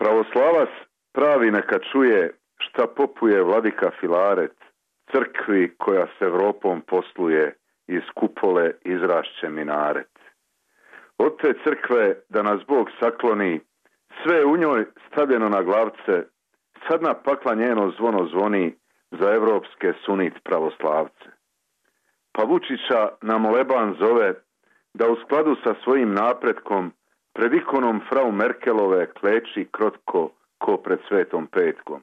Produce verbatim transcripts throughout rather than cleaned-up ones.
Pravoslavac pravi neka čuje šta popuje vladika Filaret, crkvi koja s Evropom posluje, iz kupole izrašće minaret. Od te crkve da nas Bog sakloni, sve u njoj stavljeno na glavce, sad na pakla njeno zvono zvoni za evropske sunit pravoslavce. Pa Vučića na moleban zove da u skladu sa svojim napretkom pred ikonom frau Merkelove kleči krotko ko pred Svetom Petkom.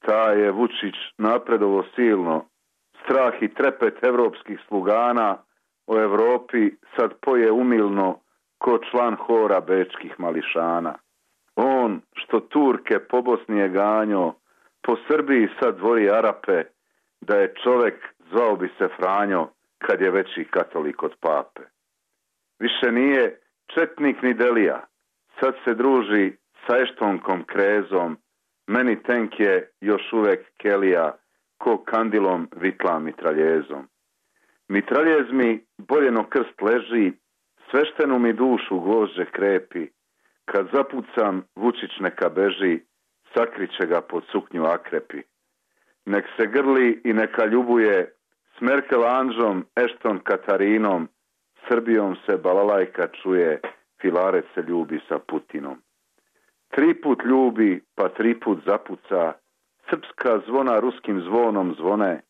Ta je Vučić napredovo silno, strah i trepet evropskih slugana o Evropi sad poje umilno ko član hora bečkih mališana. On što Turke po Bosni je ganjo, po Srbiji sad dvori Arape, da je čovek zvao bi se Franjo kad je veći katolik od pape. Više nije četnik ni Delija, sad se druži sa Eštonkom Krezom, meni tenk je još uvek Kelija, ko kandilom vitla mitraljezom. Mitraljez mi boljeno krst leži, sveštenu mi dušu gvožđe krepi, kad zapucam Vučić neka beži, sakriće ga pod suknju akrepi. Nek se grli i neka ljubuje, s Merkel Anđom, Ešton Katarinom, Srbijom se balalajka čuje, Filaret se ljubi sa Putinom. Tri put ljubi, pa tri put zapuca, srpska zvona ruskim zvonom zvone,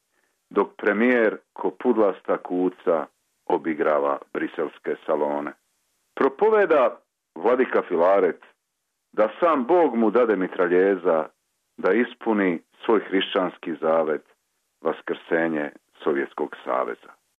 dok premijer ko pudlasta kuca obigrava briselske salone. Propoveda vladika Filaret da sam Bog mu dade mitraljeza, da ispuni svoj hrišćanski zavet, vaskrsenje Sovjetskog saveza.